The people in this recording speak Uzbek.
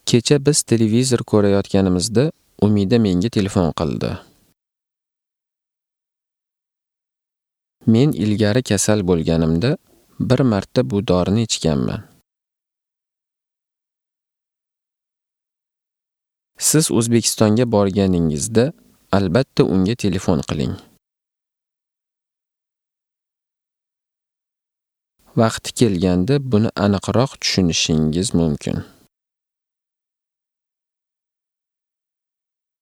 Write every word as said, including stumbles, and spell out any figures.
Kecha biz televizor ko'rayotganimizda Umida menga telefon qildi. Men ilgari kasal bo'lganimda bir marta bu dorini ichganman. Siz O'zbekistonga borganingizda albatta unga telefon qiling. Vaqti kelganda buni aniqroq tushunishingiz mumkin.